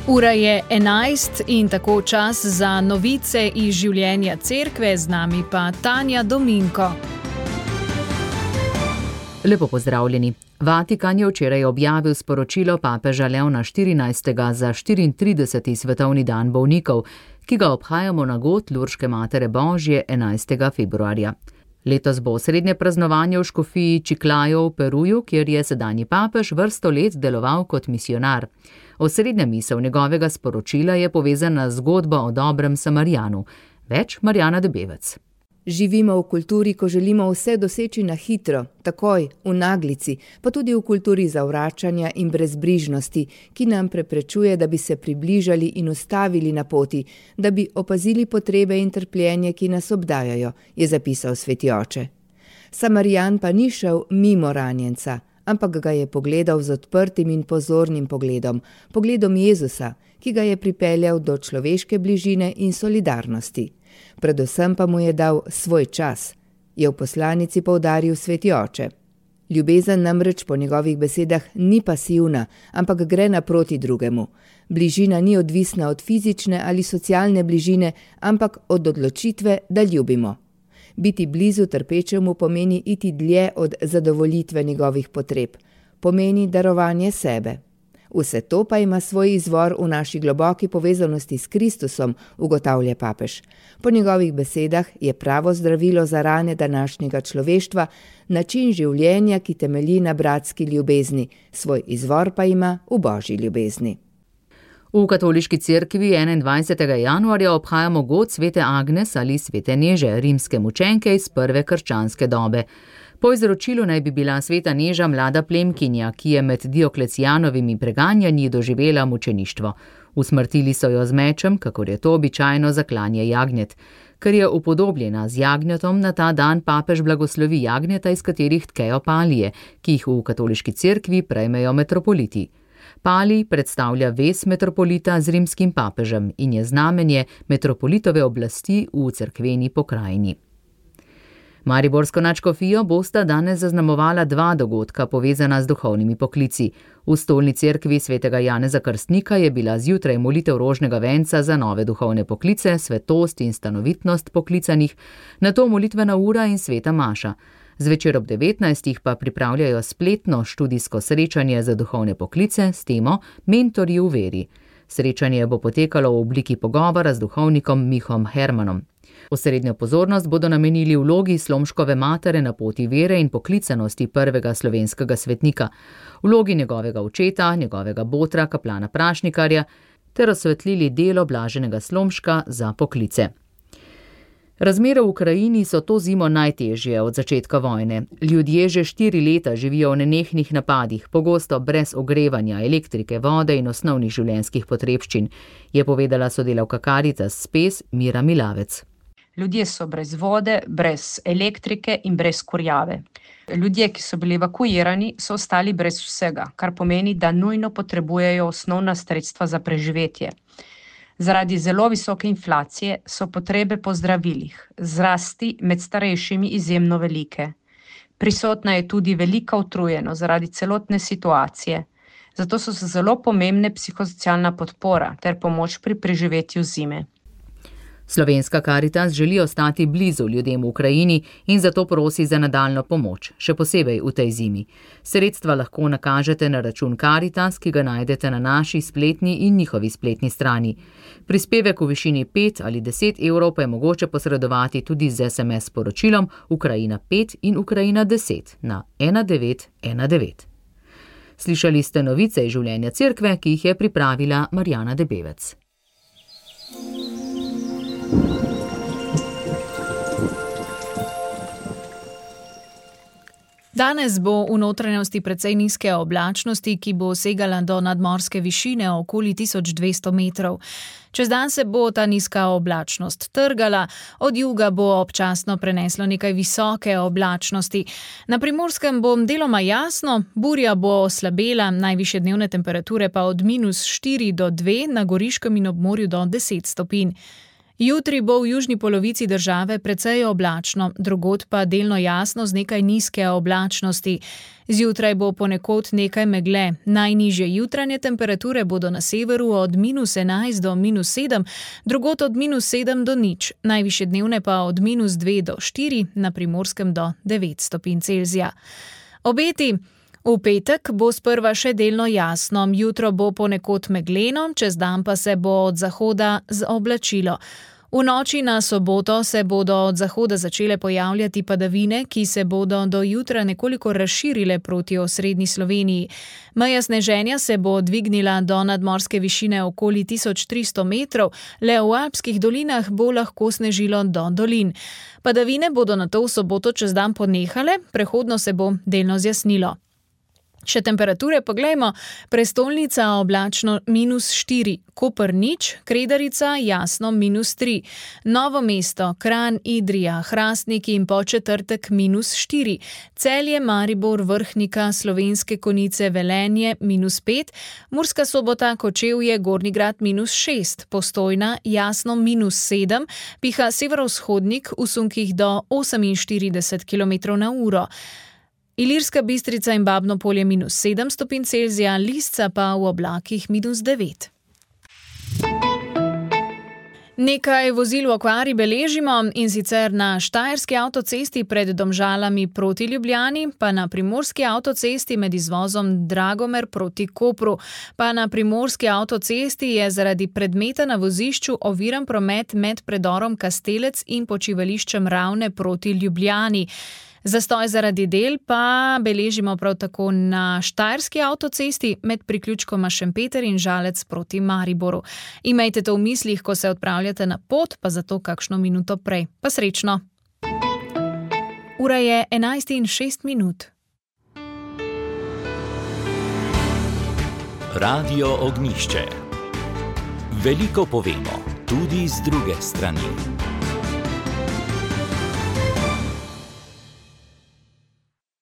Ura je 11 in tako čas za novice iz življenja cerkve, z nami pa Tanja Dominko. Lepo pozdravljeni. Vatikan je včeraj objavil sporočilo papeža Leona XIV. Za 34. svetovni dan bolnikov, ki ga obhajamo na god Lurške Matere Božje 11. februarja. Letos bo osrednje praznovanje v škofiji Chiclayo v Peruju, kjer je sedanji papež vrsto let deloval kot misionar. Osrednja misel njegovega sporočila je povezana z zgodbo o dobrem Samarijanu. Več Marjana Debevec. Živimo v kulturi, ko želimo vse doseči na hitro, takoj, v naglici, pa tudi v kulturi zavračanja in brezbrižnosti, ki nam preprečuje, da bi se približali in ustavili na poti, da bi opazili potrebe in trpljenje, ki nas obdajajo, je zapisal sveti oče. Samarijan pa ni šel mimo ranjenca, ampak ga je pogledal z odprtim in pozornim pogledom, pogledom Jezusa, ki ga je pripeljal do človeške bližine in solidarnosti. Predvsem pa mu je dal svoj čas, je v poslanici poudaril sveti oče. Ljubezen namreč po njegovih besedah ni pasivna, ampak gre naproti drugemu. Bližina ni odvisna od fizične ali socialne bližine, ampak od odločitve, da ljubimo. Biti blizu trpečemu pomeni iti dlje od zadovoljitve njegovih potreb, pomeni darovanje sebe. Vse to pa ima svoj izvor v naši globoki povezanosti s Kristusom, ugotavlja papež. Po njegovih besedah je pravo zdravilo za rane današnjega človeštva način življenja, ki temelji na bratski ljubezni, svoj izvor pa ima v božji ljubezni. V katoliški cerkvi 21. januarja obhajamo god svete Agnes ali svete Neže, rimske mučenke iz prve krščanske dobe. Po izročilu naj bi bila sveta Neža mlada plemkinja, ki je med Dioklecijanovimi preganjanji doživela mučeništvo. Usmrtili so jo z mečem, kakor je to običajno za klanje jagnjet. Ker je upodobljena z jagnjetom, na ta dan papež blagoslovi jagnjeta, iz katerih tkejo palije, ki jih v katoliški cerkvi prejmejo metropoliti. Palij predstavlja vez metropolita z rimskim papežem in je znamenje metropolitove oblasti v cerkveni pokrajini. Mariborsko nadškofijo bosta danes zaznamovala dva dogodka povezana z duhovnimi poklici. V stolni cerkvi svetega Janeza Krstnika je bila zjutraj molitev rožnega venca za nove duhovne poklice, svetost in stanovitnost poklicanih, nato molitvena ura in sveta maša. Zvečer ob 19. pa pripravljajo spletno študijsko srečanje za duhovne poklice s temo Mentorji v veri. Srečanje bo potekalo v obliki pogovora z duhovnikom Mihom Hermanom. Osrednjo pozornost bodo namenili vlogi Slomškove matere na poti vere in poklicanosti prvega slovenskega svetnika, vlogi njegovega očeta, njegovega botra, kaplana Prašnikarja, ter osvetlili delo blaženega Slomška za poklice. Razmere v Ukrajini so to zimo najtežje od začetka vojne. Ljudje že 4 leta živijo v nenehnih napadih, pogosto brez ogrevanja, elektrike, vode in osnovnih življenjskih potrebščin, je povedala sodelavka Caritas Spes Mira Milavec. Ljudje so brez vode, brez elektrike in brez kurjave. Ljudje, ki so bili evakuirani, so ostali brez vsega, kar pomeni, da nujno potrebujejo osnovna sredstva za preživetje. Zaradi zelo visoke inflacije so potrebe po zdravilih, zrasti med starejšimi izjemno velike. Prisotna je tudi velika utrujenost zaradi celotne situacije, zato so zelo pomembne psihosocialna podpora ter pomoč pri preživetju zime. Slovenska Caritas želi ostati blizu ljudem v Ukrajini in zato prosi za nadaljnjo pomoč, še posebej v tej zimi. Sredstva lahko nakažete na račun Caritas, ki ga najdete na naši spletni in njihovi spletni strani. Prispevek v višini 5 ali 10 evrov pa je mogoče posredovati tudi z SMS sporočilom Ukrajina 5 in Ukrajina 10 na 1919. Slišali ste novice iz življenja cerkve, ki jih je pripravila Marjana Debevec. Danes bo v notranjosti precej nizke oblačnosti, ki bo segala do nadmorske višine okoli 1200 metrov. Čez dan se bo ta nizka oblačnost trgala, od juga bo občasno preneslo nekaj visoke oblačnosti. Na Primorskem bo deloma jasno, burja bo oslabela, najvišje dnevne temperature pa od -4 do 2, na Goriškem in ob morju do 10 stopinj. Jutri bo v južni polovici države precej oblačno, drugod pa delno jasno z nekaj nizke oblačnosti. Zjutraj bo ponekod nekaj megle, najnižje jutranje temperature bodo na severu od -11 do -7, drugod od -7 do 0, najvišje dnevne pa od -2 do 4, na Primorskem do 9 stopinj Celzija. Obeti. V petek bo sprva še delno jasno, jutro bo ponekod megleno, čez dan pa se bo od zahoda oblačilo. V noči na soboto se bodo od zahoda začele pojavljati padavine, ki se bodo do jutra nekoliko razširile proti osrednji Sloveniji. Meja sneženja se bo dvignila do nadmorske višine okoli 1300 metrov, le v alpskih dolinah bo lahko snežilo do dolin. Padavine bodo nato v soboto čez dan ponehale, prehodno se bo delno zjasnilo. Še temperature poglejmo, prestolnica oblačno -4, Koper 0, Kredarica jasno -3, Novo mesto, Kranj, Idrija, Hrastnik in Podčetrtek -4, Celje, Maribor, Vrhnika, Slovenske Konjice, Velenje -5, Murska Sobota, Kočevje, Gornji Grad -6, Postojna jasno -7, piha severovzhodnik v sunkih do 48 km/h. Ilirska Bistrica in Babno Polje -7 stopinj Celzija, Lisca pa v oblakih -9. Nekaj vozil v okvari beležimo, in sicer na Štajerski avtocesti pred Domžalami proti Ljubljani, pa na Primorski avtocesti med izvozom Dragomer proti Kopru. Pa na Primorski avtocesti je zaradi predmeta na vozišču oviran promet med predorom Kastelec in počivališčem Ravne proti Ljubljani. Zastoj zaradi del pa beležimo prav tako na Štajerski avtocesti med priključkoma Šempeter in Žalec proti Mariboru. Imejte to v mislih, ko se odpravljate na pot, pa zato kakšno minuto prej. Pa srečno! Ura je 11:06. Radio Ognjišče. Veliko povemo, tudi z druge strani.